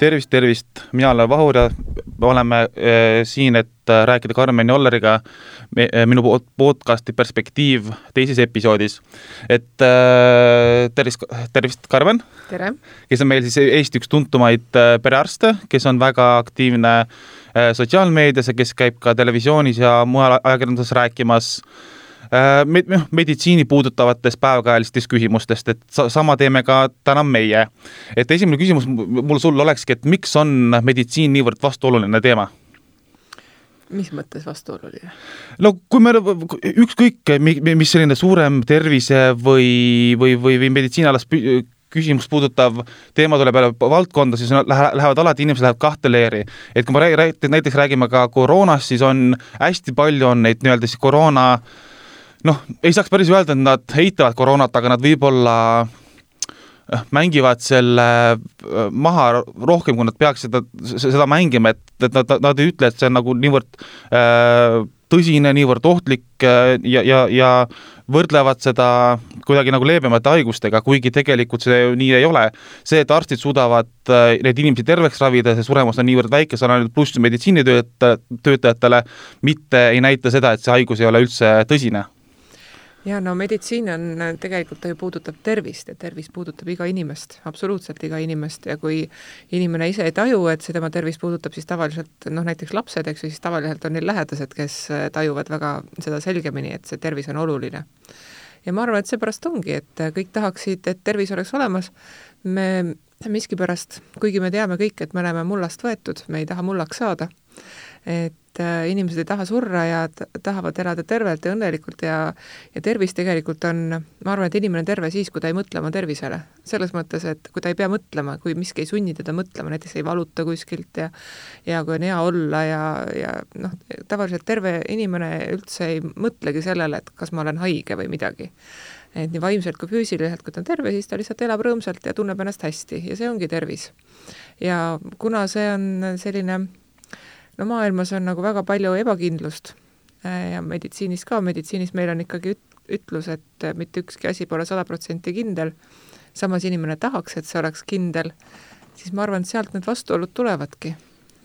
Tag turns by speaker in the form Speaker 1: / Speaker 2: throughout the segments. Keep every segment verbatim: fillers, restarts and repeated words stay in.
Speaker 1: Tervist, tervist, mina olen Vahur ja oleme äh, siin, et äh, rääkida Karmen Jolleriga me, äh, minu podcasti Perspektiiv teises episoodis. Et äh, tervist, tervist Karmen,
Speaker 2: Tere.
Speaker 1: Kes on meil siis Eesti üks tuntumaid äh, perearste, kes on väga aktiivne äh, sotsiaalmeedias ja kes käib ka televisioonis ja mujal ajakirjanduses rääkimas meditsiini puudutavatest päevakajalistest küsimustest, et sama teeme ka täna meie. Et esimene küsimus mul sul olekski, et miks on meditsiin niivõrd vastuoluline teema?
Speaker 2: Mis mõttes vastuoluline?
Speaker 1: No kui me ükskõik, mis selline suurem tervise või, või, või, või meditsiinalas küsimus puudutav teema tuleb peale valdkonda, siis lähevad alati, inimesed lähevad kahte leeri. Et kui me näiteks räägime ka koroonast, siis on hästi palju on neid nii-öelda siis koroona noh, ei saaks päris öelda, et nad heitavad koroonat, aga nad võib-olla mängivad selle maha rohkem, kui nad peaks seda, seda mängima, et, et nad, nad ei ütle, et see on nagu niivõrd äh, tõsine, niivõrd ohtlik äh, ja, ja, ja võrdlevad seda kuidagi nagu leebemate haigustega, kuigi tegelikult see nii ei ole. See, et arstid suudavad äh, need inimesi terveks ravida, see suremus on niivõrd väike, see on ainult pluss meditsiinitöötajatele, mitte ei näita seda, et see haigus ei ole üldse tõsine.
Speaker 2: Ja no meditsiin on tegelikult ta ju puudutab tervist ja tervis puudutab iga inimest, absoluutselt iga inimest ja kui inimene ise ei taju, et see tema tervis puudutab, siis tavaliselt, noh näiteks lapsed, eks, siis tavaliselt on neil lähedased, kes tajuvad väga seda selgemini, et see tervis on oluline. Ja ma arvan, et seepärast ongi, et kõik tahaksid, et tervis oleks olemas. Me miski pärast, kuigi me teame kõik, et me oleme mullast võetud, me ei taha mullaks saada, et inimesed ei taha surra ja tahavad elada tervelt ja õnnelikult ja, ja tervis tegelikult on, ma arvan, et inimene on terve siis, kui ta ei mõtle oma tervisele. Selles mõttes, et kui ta ei pea mõtlema, kui miski ei sunni teda mõtlema, näiteks ei valuta kuskilt ja, ja kui on hea olla ja, ja noh, tavaliselt terve inimene üldse ei mõtlegi sellele, et kas ma olen haige või midagi. Et nii vaimselt kui füüsiliselt, kui ta on terve, siis ta lihtsalt elab rõõmsalt ja tunneb ennast hästi ja see ongi tervis. Ja kuna see on selline no maailmas on nagu väga palju ebakindlust ja meditsiinis ka, meditsiinis meil on ikkagi ütlus, et mitte ükski asi pole sada protsenti kindel, samas inimene tahaks, et see oleks kindel, siis ma arvan, et sealt need vastuolud tulevadki.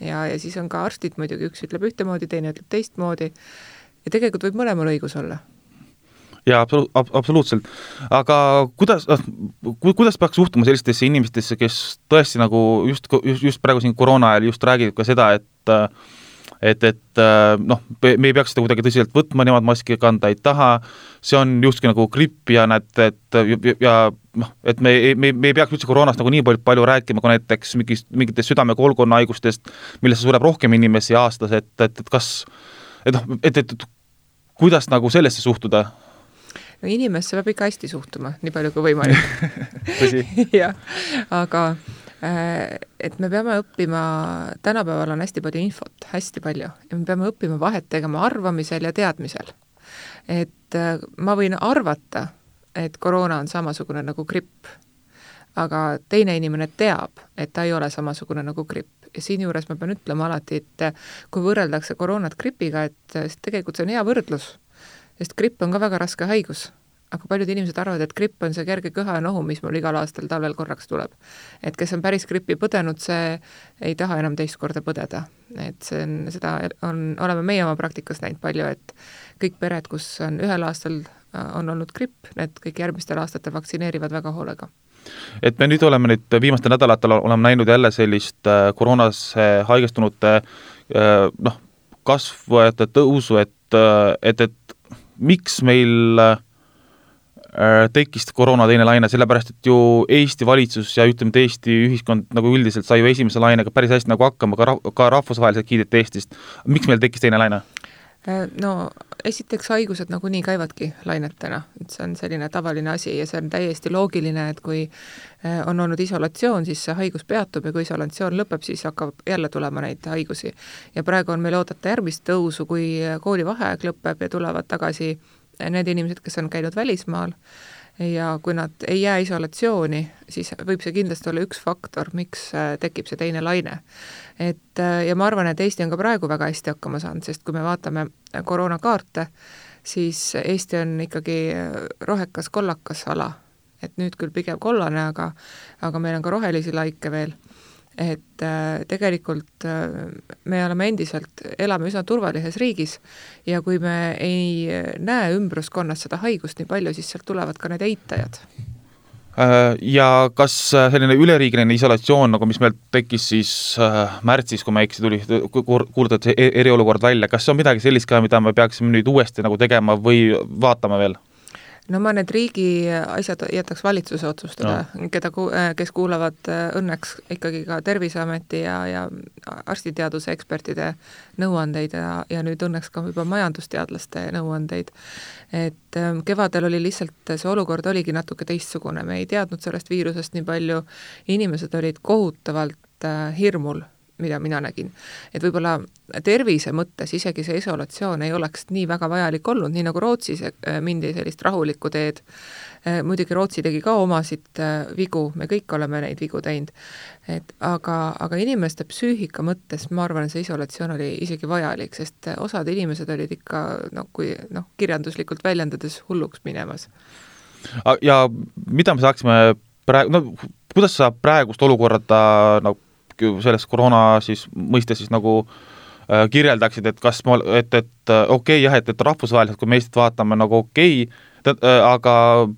Speaker 2: Ja, ja siis on ka arstid muidugi, üks ütleb ühtemoodi, teine ütleb teistmoodi ja tegelikult võib mõlemal õigus olla.
Speaker 1: Ja absoluutselt. Aga kuidas, kuidas peaks suhtuma sellistesse inimestesse, kes tõesti nagu just, just, just praegu siin koroona ajal just räägib ka seda, et et, et noh, me ei peaks seda kuidagi tõsiselt võtma, nemad maski kanda ei taha, see on justki nagu gripp ja näed, et, ja, noh, et me, me, me ei peaks üldse koroonast nagu nii palju, palju rääkima, kui näiteks mingist, mingitest südame-koolkonna haigustest, millesse sureb rohkem inimesi aastas, et, et, et kas, et noh, et, et, et kuidas nagu sellesse suhtuda?
Speaker 2: No inimesse peab ikka hästi suhtuma, nii palju kui võimalik. ja, aga et me peame õppima, tänapäeval on hästi palju infot, hästi palju, ja me peame õppima vahet tegema arvamisel ja teadmisel. Et ma võin arvata, et koroona on samasugune nagu gripp, aga teine inimene teab, et ta ei ole samasugune nagu gripp. Ja siin juures ma pean ütlema alati, et kui võrreldakse koroonat gripiga, et tegelikult see on hea võrdlus, sest gripp on ka väga raske haigus, aga paljud inimesed arvavad, et gripp on see kerge kõha ja nohu, mis mul igal aastal talvel korraks tuleb. Et kes on päris grippi põdenud, see ei taha enam teist korda põdeda. Et see on, seda on, oleme meie oma praktikas näinud palju, et kõik pered, kus on ühel aastal on olnud gripp, need kõik järgmistel aastatel vaktsineerivad väga hoolega.
Speaker 1: Et me nüüd oleme nüüd viimastel nädalatel oleme näinud jälle sellist koroonas haigestunute noh, kasvajate tõusu, et, et, et miks meil tekkis koroona teine laine, sellepärast, et ju Eesti valitsus ja ütleme, et Eesti ühiskond nagu üldiselt sai ju esimese lainega päris hästi nagu hakkama, ka, rah- ka rahvusvaheliselt kiideti Eestist. Miks meil tekkis teine laine?
Speaker 2: No esiteks haigused nagu nii käivadki lainetena, et see on selline tavaline asi ja see on täiesti loogiline, et kui on olnud isolatsioon, siis see haigus peatub ja kui isolatsioon lõpeb, siis hakkab jälle tulema neid haigusi. Ja praegu on meil oodata järgmist tõusu, kui koolivaheaeg lõpeb ja tulevad tagasi need inimesed, kes on käinud välismaal ja kui nad ei jää isolatsiooni, siis võib see kindlasti olla üks faktor, miks tekib see teine laine. Et, ja ma arvan, et Eesti on ka praegu väga hästi hakkama saanud, sest kui me vaatame koroonakaarte, siis Eesti on ikkagi rohekas kollakas ala. Et nüüd küll pigem kollane, aga, aga meil on ka rohelisi laike veel. et äh, tegelikult äh, me oleme endiselt, elame üsna turvalises riigis ja kui me ei näe ümbruskonnas seda haigust nii palju, siis sealt tulevad ka need eitajad.
Speaker 1: Ja kas selline üleriigiline isolatsioon, nagu mis meil tekkis siis märtsis, kui me eksi tuli, kuulutati eriolukord välja, kas see on midagi sellist ka, mida me peaksime nüüd uuesti nagu tegema või vaatama veel?
Speaker 2: No ma need riigi asjad jätaks valitsuse otsustada, no. keda, kes kuulavad õnneks ikkagi ka Terviseameti ja, ja arstiteaduse ekspertide nõuandeid ja, ja nüüd õnneks ka juba majandusteadlaste nõuandeid. Et kevadel oli lihtsalt, see olukord oligi natuke teistsugune, me ei teadnud sellest viirusest nii palju, inimesed olid kohutavalt hirmul, mida mina nägin. Et võib-olla tervise mõttes isegi see isolatsioon ei oleks nii väga vajalik olnud, nii nagu Rootsis mindi sellist rahulikku teed. Muidugi Rootsi tegi ka omasid vigu, me kõik oleme neid vigu teinud. Et aga, aga inimeste psüühika mõttes ma arvan, et see isolatsioon oli isegi vajalik, sest osad inimesed olid ikka, no, kui, no, kirjanduslikult väljendades hulluks minemas.
Speaker 1: Ja mida me saaksime praegu, no, kuidas sa praegust olukorda no, selles koroona siis mõistes siis nagu äh, kirjeldaksid, et kas ma, et, et okei okay, jah, et, et rahvusvaheliselt, kui me Eestit vaatame nagu okei okay,, äh, aga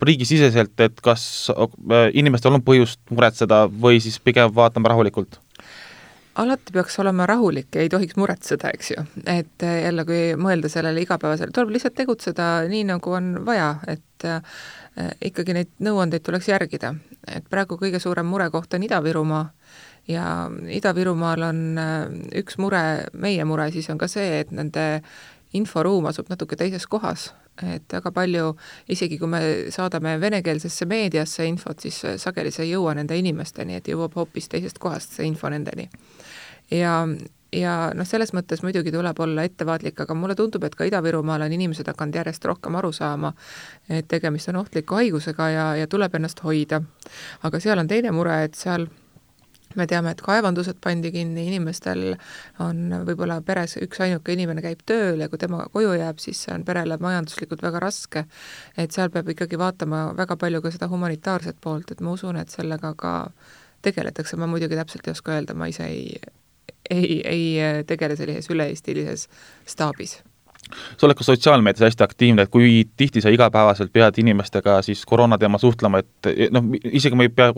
Speaker 1: riigisiseselt, et kas äh, inimestel on põhjust muretseda või siis pigem vaatame rahulikult?
Speaker 2: Alati peaks olema rahulik ja ei tohiks muretseda, eks ju. Et jälle, kui mõelda sellele igapäevasele, tuleb lihtsalt tegutseda nii, nagu on vaja, et äh, ikkagi neid nõuandeid tuleks järgida. Et praegu kõige suurem murekoht on Ida-Virumaa ja Ida-Virumaal on üks mure, meie mure siis on ka see, et nende inforuum asub natuke teises kohas, et väga palju, isegi kui me saadame venekeelsesse meediasse infot, siis sageli see ei jõua nende inimesteni, et jõuab hoopis teisest kohast see info nendeni. Ja, ja noh, selles mõttes muidugi tuleb olla ettevaatlik, aga mulle tundub, et ka Ida-Virumaal on inimesed hakanud järjest rohkem aru saama, et tegemist on ohtliku haigusega ja, ja tuleb ennast hoida. Aga seal on teine mure, et seal me teame, et kaevandused pandi kinni, inimestel on võib-olla peres üks ainuke inimene käib tööl ja kui tema koju jääb, siis see on perele majanduslikult väga raske. Et seal peab ikkagi vaatama väga palju ka seda humanitaarset poolt, et ma usun, et sellega ka tegeletakse. Ma muidugi täpselt ei oska öelda, ma ise ei, ei, ei tegele sellises üle-eestilises staabis.
Speaker 1: Sa oled ka sotsiaalmeedias hästi aktiivne, et kui tihti sa igapäevaselt pead inimestega siis koroona teema suhtlema, et noh, isegi ma ei pea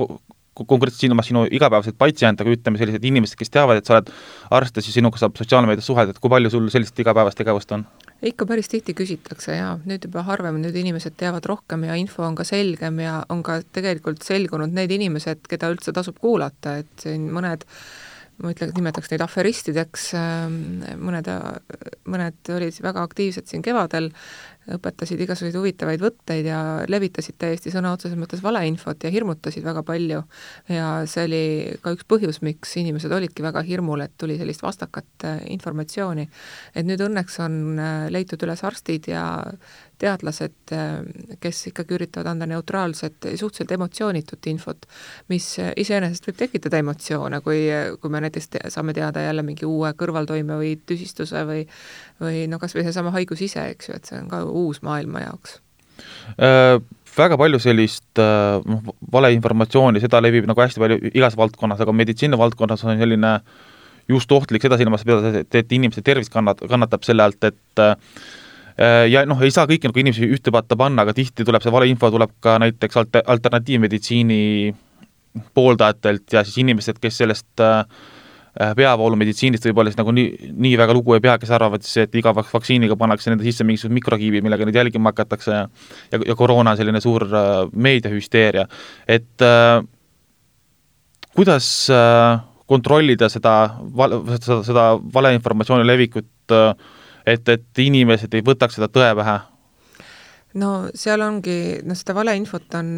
Speaker 1: konkreetselt silmas sinu igapäevaselt patsiente, aga ütleme sellised inimesed, kes teavad, et sa oled arst ja siis sinuga saab sotsiaalmeedias suhelda, et kui palju sul sellist igapäevast tegevust on?
Speaker 2: Ikka päris tihti küsitakse ja nüüd juba harvem, nüüd inimesed teavad rohkem ja info on ka selgem ja on ka tegelikult selgunud need inimesed, keda üldse tasub kuulata, et siin mõned ma ütlen, nimetaks neid aferistideks, mõned, mõned olid väga aktiivsed siin kevadel, õpetasid igasuguseid huvitavaid võtteid ja levitasid täiesti sõna otseses mõttes valeinfot ja hirmutasid väga palju. Ja see oli ka üks põhjus, miks inimesed olidki väga hirmul, et tuli sellist vastakat informatsiooni. Et nüüd õnneks on leitud üles arstid ja teadlased, kes ikkagi üritavad anda neutraalset, suhteliselt emotsioonitut infot, mis iseenesest võib tekitada emotsioone, kui, kui me näiteks te, saame teada jälle mingi uue kõrvaltoime või tüsistuse või, või no kas või see sama haigus ise, eks ju, et see on ka uus maailma jaoks.
Speaker 1: Äh, väga palju sellist äh, valeinformatsiooni, seda levib nagu hästi palju igas valdkonnas, aga meditsiini valdkonnas on selline just ohtlik seda silmas peada, et, et inimeste tervis kannat, kannatab selle alt, et äh, ja noh, ei saa kõiki nagu inimesi ühte patta panna, aga tihti tuleb see valeinfo tuleb ka näiteks alter, alternatiivmeditsiini pooldajatelt ja siis inimesed, kes sellest äh, peavoolumeditsiinist võib-olla siis nagu nii, nii väga lugu ei pea, kes arvavad siis, et iga vaktsiiniga pannakse nende sisse mingisugused mikrokiibid, millega neid jälgima hakatakse ja, ja, ja koroona on selline suur äh, meediahüsteeria. Et äh, kuidas äh, kontrollida seda, seda, seda valeinformatsiooni levikut äh, et, et inimesed ei võtaks seda tõe pähe?
Speaker 2: No seal ongi, no seda valeinfot on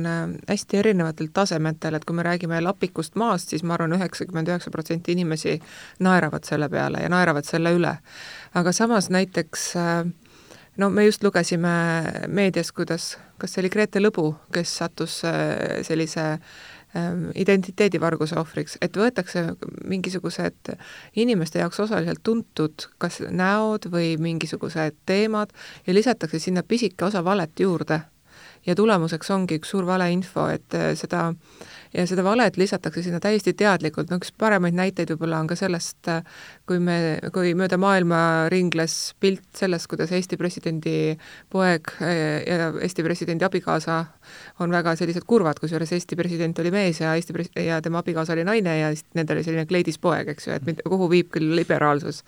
Speaker 2: hästi erinevatel tasemetel, et kui me räägime lapikust maast, siis ma arvan üheksakümmend üheksa protsenti inimesi naeravad selle peale ja naeravad selle üle. Aga samas näiteks, no me just lugesime meedias, kuidas, kas see oli Grete Lõbu, kes sattus sellise identiteedivarguse ohvriks, et võetakse mingisugused inimeste jaoks osaliselt tuntud kas näod või mingisugused teemad ja lisatakse sinna pisike osa valet juurde. ja tulemuseks ongi üks suur valeinfo, et seda ja seda valet lisatakse sinna täiesti teadlikult, no üks paremaid näiteid võib-olla on ka sellest, kui me, kui mööda maailma ringles pilt sellest, kuidas Eesti presidendi poeg ja Eesti presidendi abikaasa on väga sellised kurvad, kusjuures Eesti president oli mees ja, Eesti pres- ja tema abikaasa oli naine ja nendel oli selline kleidispoeg, eks ju, et kuhu viib küll liberaalsus.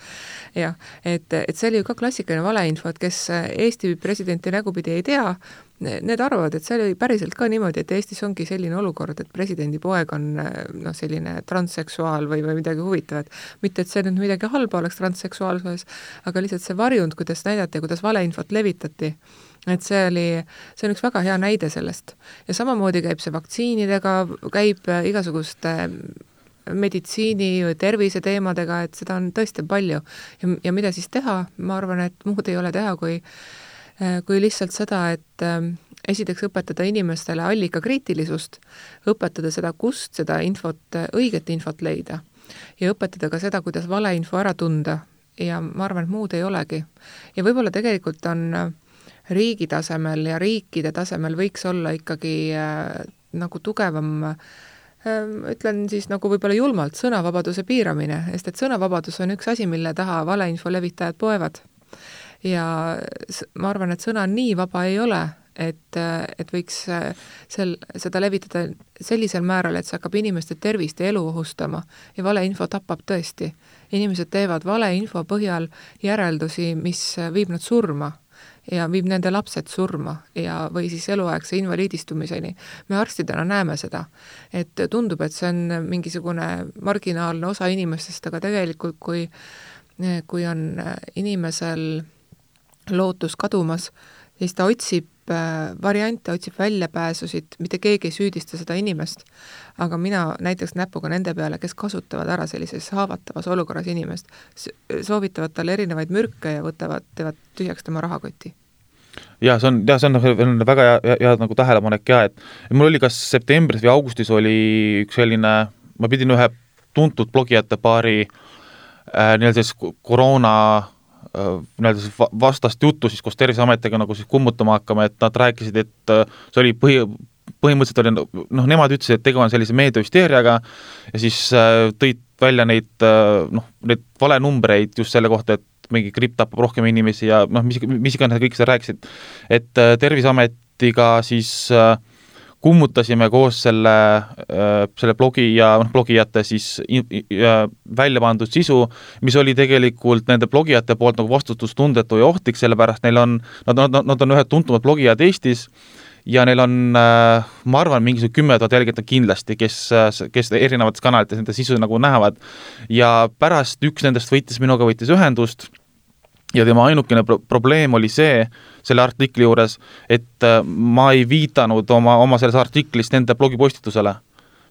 Speaker 2: Ja, et, et see oli ju ka klassikaline valeinfo, et kes Eesti presidenti nägupidi ei tea, need arvavad, et see oli päriselt ka niimoodi, et Eestis ongi selline olukord, et presidendi poeg on no, selline transseksuaal või, või midagi huvitavat. Mitte, et see nüüd midagi halba oleks transseksuaalsuses, aga lihtsalt see varjund, kuidas näidati ja kuidas valeinfot levitati, et see oli, see on üks väga hea näide sellest. Ja samamoodi käib see vaktsiinidega, käib igasuguste meditsiini või tervise teemadega, et seda on tõesti palju. Ja, ja mida siis teha? Ma arvan, et muud ei ole teha, kui kui lihtsalt seda, et esiteks õpetada inimestele allikakriitilisust, õpetada seda, kust seda infot, õiget infot leida ja õpetada ka seda, kuidas valeinfo ära tunda ja ma arvan, et muud ei olegi. Ja võib-olla tegelikult on riigi tasemel ja riikide tasemel võiks olla ikkagi nagu tugevam, ütlen siis nagu võib-olla julmalt, sõnavabaduse piiramine, sest et sõnavabadus on üks asi, mille taha valeinfo levitajad poevad. Ja ma arvan, et sõna nii vaba ei ole, et, et võiks sel, seda levitada sellisel määral, et see hakkab inimeste tervist ja elu ohustama ja valeinfo tapab tõesti. Inimesed teevad valeinfo põhjal järeldusi, mis viib nad surma ja viib nende lapsed surma ja, või siis eluaegse invaliidistumiseni. Me arstidena näeme seda, et tundub, et see on mingisugune marginaalne osa inimestest, aga tegelikult kui, kui on inimesel lootus kadumas, siis ta otsib variante, otsib väljapääsusid, mitte keegi ei süüdista seda inimest, aga mina näiteks näpuga nende peale, kes kasutavad ära sellises haavatavas olukorras inimest, soovitavad talle erinevaid mürke ja võtavad, teevad tühjaks tema rahakoti.
Speaker 1: Ja see on, ja see on väga hea, hea nagu tähelepanek ja, et mul oli kas septembris või augustis oli üks selline, ma pidin ühe tuntud blogijate paari äh, nii-öelda siis koroona nii-öelda vastast juttu siis koos Terviseametiga nagu siis kummutama hakkama, et nad rääkisid, et see oli põhi, põhimõtteliselt oli, noh, nemad ütlesid, et tegu on sellise meediahüsteeriaga ja siis tõid välja neid, noh, neid valenumbreid just selle kohta, et mingi gripp tapab rohkem inimesi ja noh, mis, mis iganes kõik seda rääkisid, et Terviseametiga siis kummutasime koos selle, selle blogi ja noh, blogijate siis välja pandud sisu, mis oli tegelikult nende blogijate poolt nagu vastutustundetu ja ohtlik, sellepärast neil on, nad, nad, nad on ühed tuntumad blogijad Eestis ja neil on, ma arvan, mingisugune kümme tuhat jälgijat kindlasti, kes, kes erinevates kanalites nende sisu nagu näevad ja pärast üks nendest võitis minuga võitis ühendust ja tema ainukene pro- probleem oli see, selle artikli juures, et ma ei viidanud oma, oma selles artiklis nende blogipostitusele.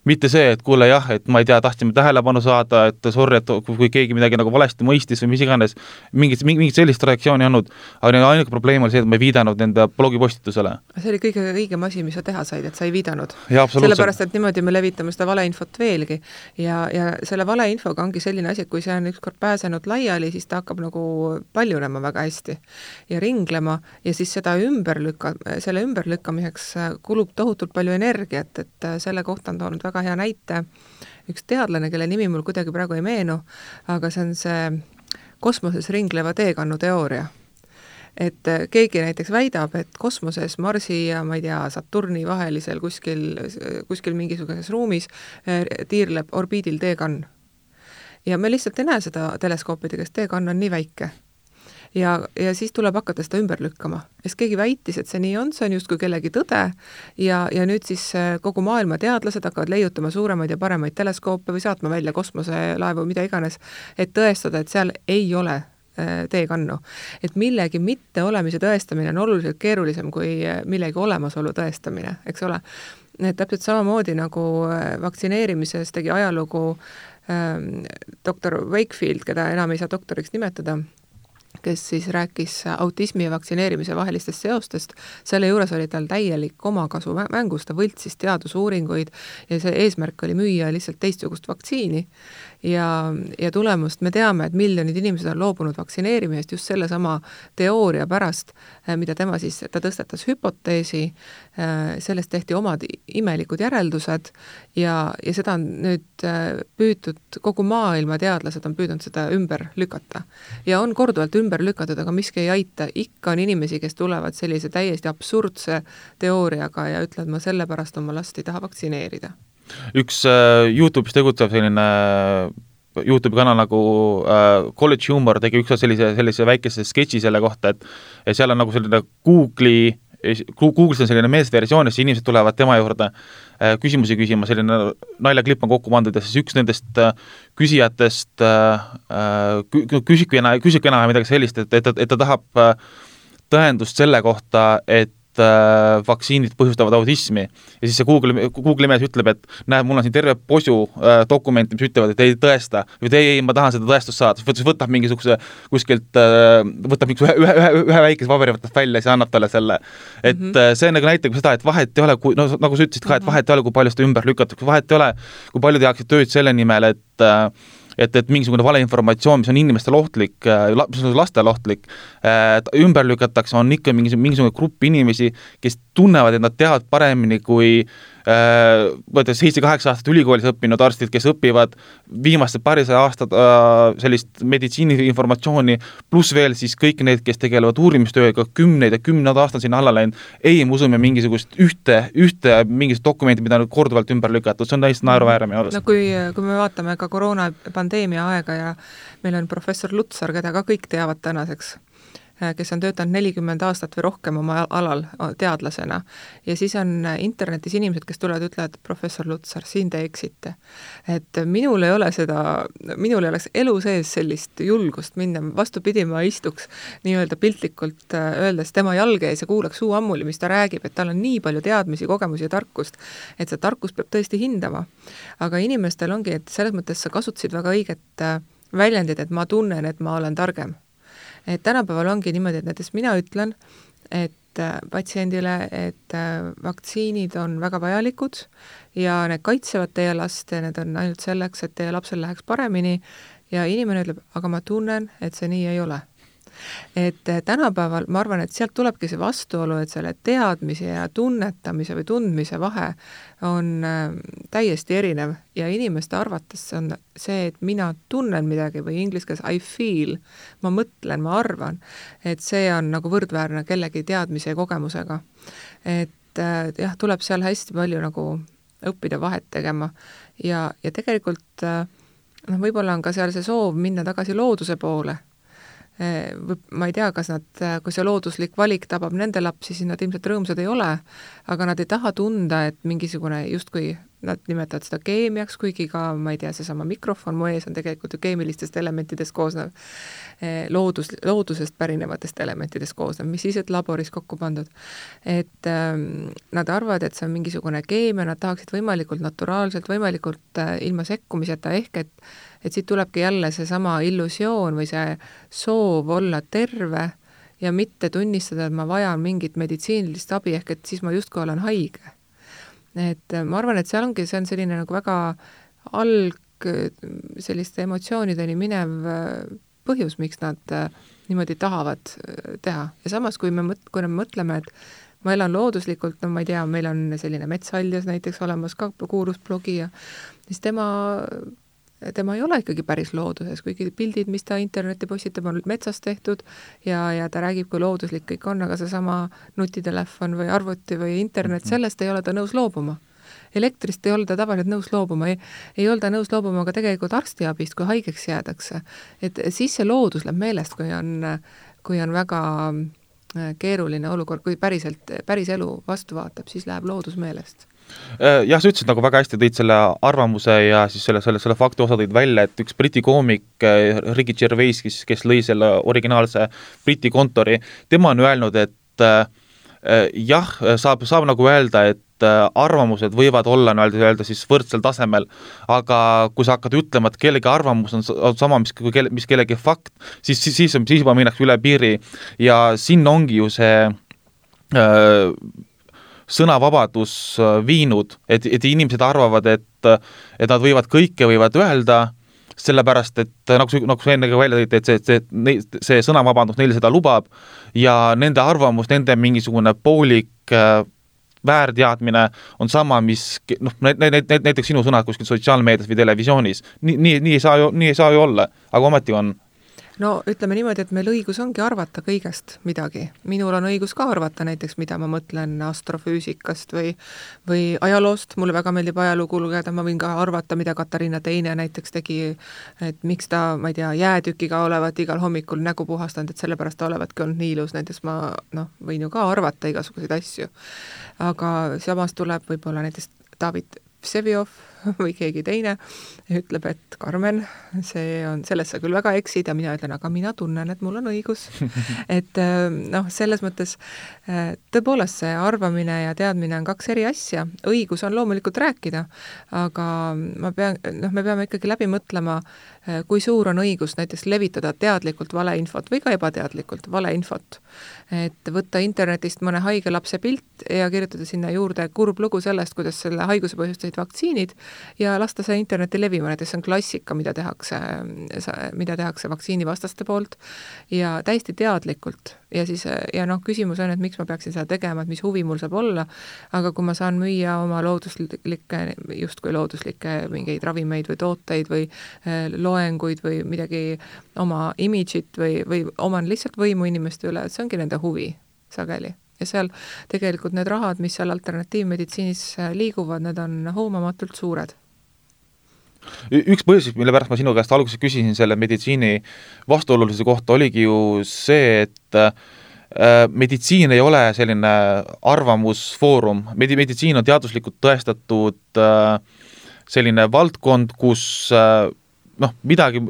Speaker 1: Mitte see, et kuule jah, et ma ei tea, tahtsime tähelepanu saada, et sorry, et kui keegi midagi nagu valesti mõistis või mis iganes, mingit, mingit sellist reaktsiooni olnud, aga ainuke probleem oli see, et ma ei viidanud nende blogipostitusele.
Speaker 2: See oli kõige õigem asi, mis sa teha said, et sa ei viidanud.
Speaker 1: Ja,
Speaker 2: sellepärast, et niimoodi me levitame seda valeinfot veelgi ja, ja selle valeinfoga ongi selline asi, et kui see on ükskord pääsenud laiali, siis ta hakkab nagu paljunema väga hästi ja ringlema ja siis seda ümber lükka, selle ümberlükkamiseks kulub tohutult palju energiat, et selle kohta on toonud väga väga hea näite. Üks teadlane, kelle nimi mul kuidagi praegu ei meenu, aga see on see kosmoses ringleva teekannu teooria. Et keegi näiteks väidab, et kosmoses Marsi ja ma ei tea, Saturni vahelisel kuskil, kuskil mingisuguses ruumis tiirleb orbiidil teekann. Ja me lihtsalt ei näe seda teleskoopidega, sest teekann on nii väike. Ja, ja siis tuleb hakata seda ümber lükkama. Ja keegi väitis, et see nii on, see on just kui kellegi tõde ja, ja nüüd siis kogu maailma teadlased hakkavad leiutama suuremaid ja paremaid teleskoope või saatma välja kosmoselaevu, mida iganes, et tõestada, et seal ei ole teekannu. Et millegi mitte olemise tõestamine on oluliselt keerulisem kui millegi olemasolu tõestamine, eks ole. Et täpselt samamoodi nagu vaktsineerimises tegi ajalugu ähm, doktor Wakefield, keda enam ei saa doktoriks nimetada, kes siis rääkis autismi ja vaktsineerimise vahelistest seostest. Selle juures oli tal täielik omakasu mängus, ta võltsis teadusuuringuid ja see eesmärk oli müüa lihtsalt teistsugust vaktsiini. ja, ja tulemust me teame, et miljonid inimesed on loobunud vaktsineerimisest just selle sama teooria pärast, mida tema siis, ta tõstatas hüpoteesi, sellest tehti omad imelikud järeldused ja, ja seda on nüüd püütud, kogu maailma teadlased on püüdnud seda ümber lükata. Ja on korduvalt ümber lükatud, aga miski ei aita, ikka on inimesi, kes tulevad sellise täiesti absurdse teooriaga ja ütlevad, ma sellepärast oma last ei taha vaktsineerida.
Speaker 1: Üks uh, YouTube'is tegutsev selline YouTube'i kanal nagu uh, College Humor tegi üks sellise, sellise väikese sketši selle kohta, et, et seal on nagu selline Google'i Google'is on selline meesversioon, siis inimesed tulevad tema juurde uh, küsimusi küsima, selline naljaklipp on kokku pandud ja siis üks nendest uh, küsijatest uh, küsibki enam, küsibki enam midagi sellist, et, et, et ta tahab uh, tõendust selle kohta, et äh, vaktsiinid põhjustavad autismi ja siis see Google, Google mees ütleb, et näed, mul on siin terve posu äh, dokumenti, mis ütlevad, et ei tõesta või ei, ei, ma tahan seda tõestust saada, siis võtab mingisuguse kuskilt äh, võtab mingisuguse ühe, ühe, ühe väikese paberi võtab välja ja siis annab talle selle, et mm -hmm. see nagu näitab seda, et vahet ei ole, kui, no nagu sa ütlesid ka, et vahet ei ole, kui palju seda ümber lükatakse, vahet ei ole, kui palju tehakse tööd selle nimel, et äh, et, et mingisugune valeinformatsioon, mis on inimestele ohtlik, mis on lastele ohtlik, ümber lükatakse, on ikka mingisugune, mingisugune grupp inimesi, kes tunnevad, et nad teavad paremini kui võttes seitse-kaheksa aastat ülikoolis õppinud arstid, kes õpivad viimased parisaja aastat sellist meditsiiniinformatsiooni, pluss veel siis kõik need, kes tegelevad uurimistööga, kümneid ja kümned aastad sinna alla läinud, ei, me usume mingisugust ühte, ühte mingisugust dokumenti, mida on korduvalt ümber lükatud, see on täiesti naeruväärne.
Speaker 2: No kui, kui me vaatame ka koroona pandeemia aega ja meil on professor Lutsar, keda ka kõik teavad tänaseks, kes on töötanud nelikümmend aastat või rohkem oma alal teadlasena. Ja siis on internetis inimesed, kes tulevad ja ütlevad, professor Lutsar, siin te eksite. Et minul ei ole seda, minul ei oleks elu sees sellist julgust minna, vastupidi ma istuks nii-öelda piltlikult öeldes tema jalge ees ja kuulaks suu ammuli, mis ta räägib, et tal on nii palju teadmisi, kogemusi ja tarkust, et see tarkus peab tõesti hindama. Aga inimestel ongi, et selles mõttes sa kasutasid väga õiget väljendid, et ma tunnen, et ma olen targem. Et tänapäeval ongi niimoodi, et näiteks mina ütlen, et patsiendile, et vaktsiinid on väga vajalikud ja need kaitsevad teie last ja need on ainult selleks, et teie lapsel läheks paremini ja inimene ütleb, aga ma tunnen, et see nii ei ole. Et tänapäeval, ma arvan, et sealt tulebki see vastuolu, et selle teadmise ja tunnetamise või tundmise vahe on täiesti erinev ja inimeste arvates on see, et mina tunnen midagi või inglise keeles I feel, ma mõtlen, ma arvan, et see on nagu võrdväärne kellegi teadmise ja kogemusega. Et jah, tuleb seal hästi palju nagu õppida vahet tegema ja, ja tegelikult noh, võib-olla on ka seal see soov minna tagasi looduse poole. Ma ei tea, kas nad, kui see looduslik valik tabab nende lapsi, siis nad ilmselt rõõmsad ei ole, aga nad ei taha tunda, et mingisugune justkui nad nimetavad seda keemiaks, kuigi ka, ma ei tea, seesama mikrofon mu ees on tegelikult ju keemilistest elementidest koosnev, loodus, loodusest pärinevatest elementidest koosnev, mis siis, et laboris kokku pandud. Et ähm, nad arvavad, et see on mingisugune keemia, nad tahaksid võimalikult naturaalselt, võimalikult äh, ilma sekkumiseta, ehk et et siit tulebki jälle see sama illusioon või see soov olla terve ja mitte tunnistada, et ma vajan mingit meditsiinilist abi, ehk et siis ma justkui olen haige. Et ma arvan, et seal ongi, see on selline nagu väga alg selliste emotsioonideni minev põhjus, miks nad niimoodi tahavad teha. Ja samas, kui me, mõt- kui me mõtleme, et ma elan looduslikult, no ma ei tea, meil on selline metsaljas näiteks olemas ka kuurusblogi ja siis tema tema ei ole ikkagi päris looduses, kuigi pildid, mis ta interneti postitab, on metsast tehtud ja, ja ta räägib, kui looduslik kõik on, aga see sama nutitelefon või arvuti või internet, sellest ei ole ta nõus loobuma. Elektrist ei ole ta tavaliselt nõus loobuma, ei, ei ole ta nõus loobuma ka tegelikult arstiabist, kui haigeks jäädakse. Et siis see loodus läheb meelest, kui on, kui on väga keeruline olukord, kui päriselt, päris elu vastu vaatab, siis läheb loodus meelest.
Speaker 1: Jah, sa ütlesid nagu väga hästi, tõid selle arvamuse ja siis selle, selle, selle fakti osa tõid välja, et üks Briti koomik Ricky Gervais, kes, kes lõi selle originaalse Briti kontori, tema on öelnud, et äh, jah, saab, saab nagu öelda, et äh, arvamused võivad olla öelda, öelda siis võrdsel tasemel, aga kui sa hakkad ütlema, et kellegi arvamus on, on sama, mis, mis kellegi fakt, siis, siis, siis, siis juba minnakse üle piiri ja siin ongi ju see äh, sõnavabadus viinud, et, et inimesed arvavad, et, et nad võivad kõike võivad öelda sellepärast, et nagu, nagu sa enne ka välja tõite, et see, see, see sõnavabandus neil seda lubab ja nende arvamus, nende mingisugune poolik äh, väärteadmine on sama, mis noh, näiteks sinu sõnad kuskil sotsiaalmeedias või televisioonis. Nii, nii, nii, ei saa ju, nii ei saa ju olla, aga ometi on.
Speaker 2: No ütleme niimoodi, et meil õigus ongi arvata kõigest midagi. Minul on õigus ka arvata näiteks, mida ma mõtlen astrofüüsikast või, või ajaloost. Mulle väga meeldib ajalugu lugeda, ma võin ka arvata, mida Katariina teine näiteks tegi, et miks ta, ma ei tea, jäätükiga olevat igal hommikul nägu puhastanud, et sellepärast ta olevatki olnud nii ilus. Näiteks ma noh, võin ju ka arvata igasuguseid asju. Aga samas tuleb võib-olla näiteks David Vseviov või keegi teine ütleb, et Karmen, see on, selles sa küll väga eksid ja mina ütlen, aga mina tunnen, et mul on õigus. Et noh, selles mõttes tõepoolest see arvamine ja teadmine on kaks eri asja. Õigus on loomulikult rääkida, aga ma pean, noh, me peame ikkagi läbi mõtlema, kui suur on õigus näiteks levitada teadlikult valeinfot või ka ebateadlikult valeinfot. Et võtta internetist mõne haige lapse pilt ja kirjutada sinna juurde kurb lugu sellest, kuidas selle haiguse põhjustasid vaktsiinid ja lasta see interneti levima, näiteks see on klassika, mida tehakse, mida tehakse vaktsiinivastaste poolt ja täiesti teadlikult. Ja siis, ja noh, küsimus on, et miks ma peaksin seda tegema, et mis huvi mul saab olla, aga kui ma saan müüa oma looduslikke, justkui looduslikke mingeid ravimeid või tooteid või loenguid või midagi oma imidžit või, või oman lihtsalt võimu inimeste üle, see ongi nende huvi sageli. Ja seal tegelikult need rahad, mis seal alternatiivmeditsiinis liiguvad, need on hoomamatult suured.
Speaker 1: Üks põhjus, mille pärast ma sinu käest alguses küsisin selle meditsiini vastuolulise kohta, oligi ju see, et äh, meditsiin ei ole selline arvamusfoorum. Medi- meditsiin on teaduslikult tõestatud äh, selline valdkond, kus äh, noh, midagi,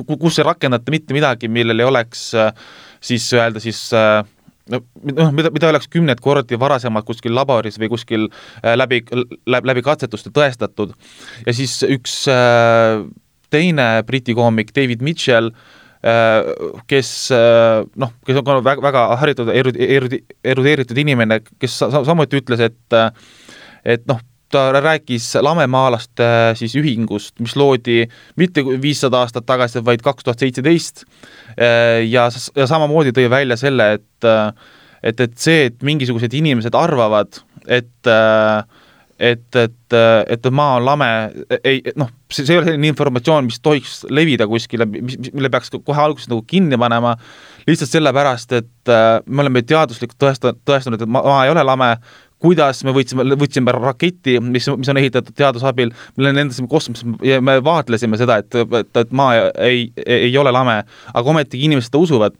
Speaker 1: kus ei rakendata mitte midagi, millel ei oleks äh, siis öelda siis äh, no, mida, mida oleks kümned kordi varasemalt kuskil laboris või kuskil äh, läbi, läbi, läbi katsetuste tõestatud. Ja siis üks äh, teine briti koomik David Mitchell, äh, kes, äh, noh, kes on väga, väga haritud, erudi, erudeeritud inimene, kes sa, samuti ütles, et, et noh, ta rääkis lamemaalaste siis ühingust, mis loodi mitte viissada aastat tagasi, vaid kaks tuhat seitseteist ja, ja samamoodi tõi välja selle, et, et, et see, et mingisugused inimesed arvavad, et, et, et, et maa on lame, ei, noh, see, see ei ole selline informatsioon, mis tohiks levida kuskile, mille peaks kohe alguses nagu kinni panema, lihtsalt sellepärast, et me oleme teaduslikult tõestanud, tõestanud, et maa ei ole lame, kuidas me võtsime, võtsime raketi, mis, mis on ehitatud teadusabil, mille nendesime kosmosesse ja me vaatlesime seda, et, et, et maa ei, ei ole lame, aga ometigi inimesed usuvad,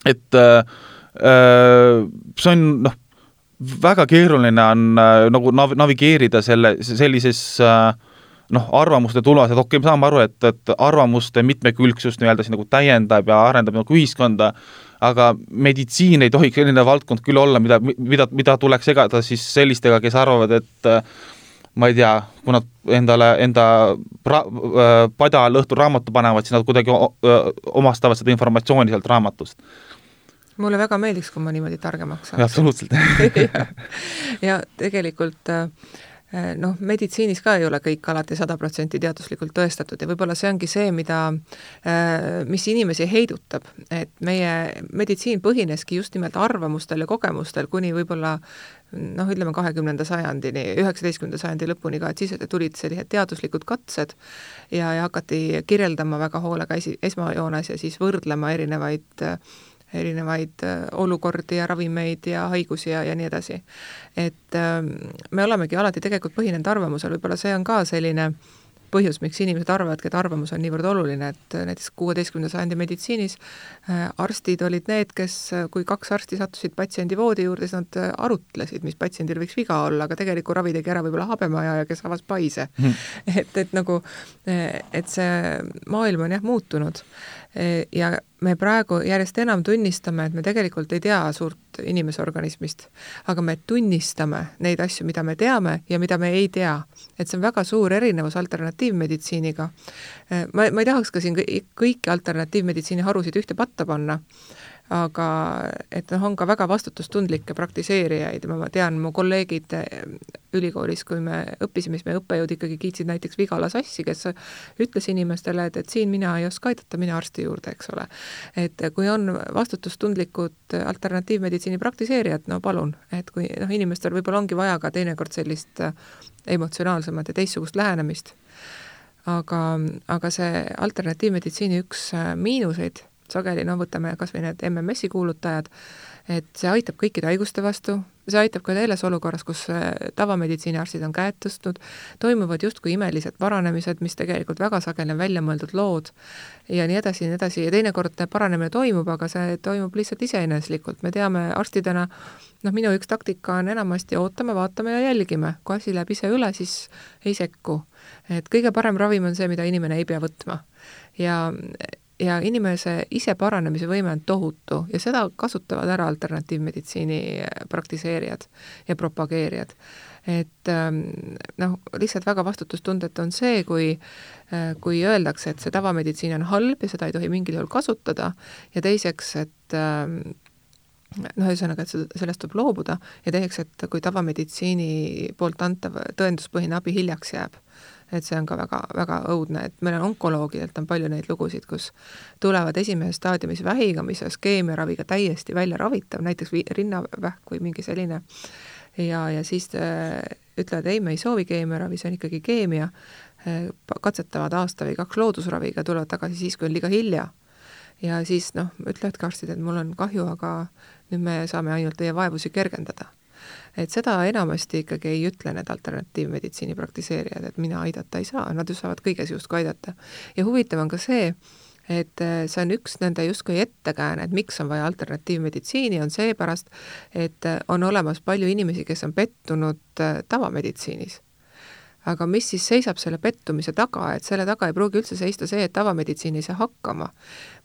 Speaker 1: et äh, see on noh, väga keeruline on äh, nagu navigeerida selle, sellises äh, noh, arvamuste tulvas, et okei, okay, me saame aru, et, et arvamuste mitmekülgsust nii-öelda nagu täiendab ja arendab nagu ühiskonda, aga meditsiin ei tohiks selline valdkond küll olla, mida, mida, mida tuleks segada siis sellistega, kes arvavad, et ma ei tea, kui nad endale, enda ra, pada lõhtul raamatu panevad, siis nad kuidagi omastavad seda informatsiooni sealt raamatust.
Speaker 2: Mulle väga meeldiks, kui ma niimoodi targemaks saaks.
Speaker 1: Ja, absoluutselt.
Speaker 2: ja, ja tegelikult noh, meditsiinis ka ei ole kõik alati sada protsenti teaduslikult tõestatud ja võib-olla see ongi see, mida, mis inimesi heidutab, et meie meditsiin põhineski just nimelt arvamustel ja kogemustel kuni võib-olla noh, ütleme kahekümnenda sajandini, üheksateistkümnenda sajandi lõpuni ka, et siis tulid sellised teaduslikud katsed ja, ja hakati kirjeldama väga hoolega esi, esmajoones ja siis võrdlema erinevaid erinevaid olukordi ja ravimeid ja haigusi ja, ja nii edasi. Et me olemegi alati tegelikult põhinenud arvamusel, võib-olla see on ka selline põhjus, miks inimesed arvavadki, et arvamus on niivõrd oluline, et näiteks kuueteistkümnenda sajandi meditsiinis arstid olid need, kes, kui kaks arsti sattusid patsiendi voodi juurde, siis nad arutlesid, mis patsiendil võiks viga olla, aga tegelikult ravi tegi ära võib-olla habemaja ja kes avas paise. Hmm. Et, et nagu, et see maailm on jah muutunud ja me praegu järjest enam tunnistame, et me tegelikult ei tea suurt inimese organismist, aga me tunnistame neid asju, mida me teame ja mida me ei tea. Et see on väga suur erinevus alternatiivmeditsiiniga. Ma, ma ei tahaks ka siin kõiki alternatiivmeditsiini harusid ühte patta panna, aga et noh, on ka väga vastutustundlikke praktiseerijaid, ma tean, mu kolleegid ülikoolis, kui me õppisime, siis me õppejõud ikkagi kiitsid näiteks Vigala Sassi, kes ütles inimestele, et, et siin mina ei oska aidata, mina arsti juurde, eks ole. Et kui on vastutustundlikud alternatiivmeditsiini praktiseerijad, no palun, et kui noh, inimestel võib-olla ongi vaja ka teinekord sellist emotsionaalsemat ja teistsugust lähenemist, aga, aga see alternatiivmeditsiini üks miinuseid sageli, no võtame kas või need M M S-i kuulutajad, et see aitab kõikide haiguste vastu, see aitab ka selles olukorras, kus tavameditsiiniarstid on käed tõstnud, toimuvad justkui imelised paranemised, mis tegelikult väga sageli on välja mõeldud lood ja nii edasi ja nii edasi ja teinekord paranemine toimub, aga see toimub lihtsalt iseeneslikult. Me teame arstidena, noh, minu üks taktika on enamasti ootame, vaatame ja jälgime. Kui asi läheb ise üle, siis ei sekku. Et kõige parem ravim on see, mida inimene ei pea võtma. Ja ja inimese ise paranemise võime on tohutu ja seda kasutavad ära alternatiivmeditsiini praktiseerijad ja propageerijad. Et noh, lihtsalt väga vastutustundet on see, kui, kui öeldakse, et see tavameditsiin on halb ja seda ei tohi mingil juhul kasutada ja teiseks, et noh, ühesõnaga, et sellest tuleb loobuda ja teiseks, et kui tavameditsiini poolt antav tõenduspõhine abi hiljaks jääb, et see on ka väga, väga õudne, et meil on onkoloogidelt on palju neid lugusid, kus tulevad esimeses staadiumis vähiga, mis on skeemiaraviga täiesti välja ravitav, näiteks rinnavähk või mingi selline ja, ja siis ütlevad, ei, me ei soovi keemiaravi, see on ikkagi keemia, katsetavad aasta või kaks loodusraviga, tulevad tagasi siis, kui on liiga hilja ja siis noh, ütlevad ka arstid, et mul on kahju, aga nüüd me saame ainult teie vaevusi kergendada. Et seda enamasti ikkagi ei ütle need alternatiivmeditsiini praktiseerijad, et mina aidata ei saa, nad ju saavad kõiges justkui aidata. Ja huvitav on ka see, et see on üks nende justkui ettekääne, et miks on vaja alternatiivmeditsiini, on seepärast, et on olemas palju inimesi, kes on pettunud tavameditsiinis. Aga mis siis seisab selle pettumise taga, et selle taga ei pruugi üldse seista see, et tavameditsiin ei saa hakkama.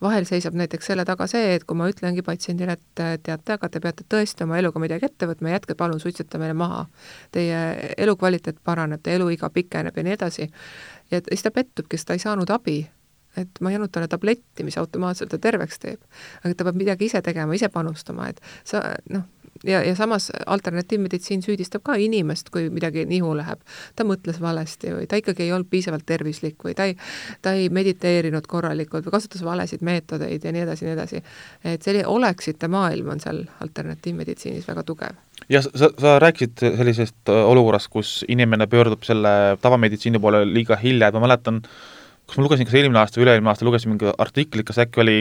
Speaker 2: Vahel seisab näiteks selle taga see, et kui ma ütlengi patsiendile, et teate, aga te peate tõesti oma eluga midagi ette võtma, jätke palun suitsetamine maha. Teie elukvaliteet paraneb, teie eluiga pikeneb ja nii edasi. Ja siis ta pettubki, sest ta ei saanud abi. Et ma ei andnud talle tabletti, mis automaatselt ta terveks teeb. Aga ta peab midagi ise tegema, ise panustama. Et sa, noh, Ja, ja samas alternatiivmeditsiin süüdistab ka inimest, kui midagi nihu läheb. Ta mõtles valesti või ta ikkagi ei olnud piisavalt tervislik või ta ei, ta ei mediteerinud korralikult või kasutas valesid meetodeid ja nii edasi, nii edasi. Et selline oleksite maailm on seal alternatiivmeditsiinis väga tugev.
Speaker 1: Ja sa, sa rääkisid sellisest olukorrast, kus inimene pöördub selle tavameditsiini poole liiga hilja, et ma mäletan, kus ma lugesin kas eelmine aasta või üle-eelmine aasta, lugesin mingi artiklit, kas äkki oli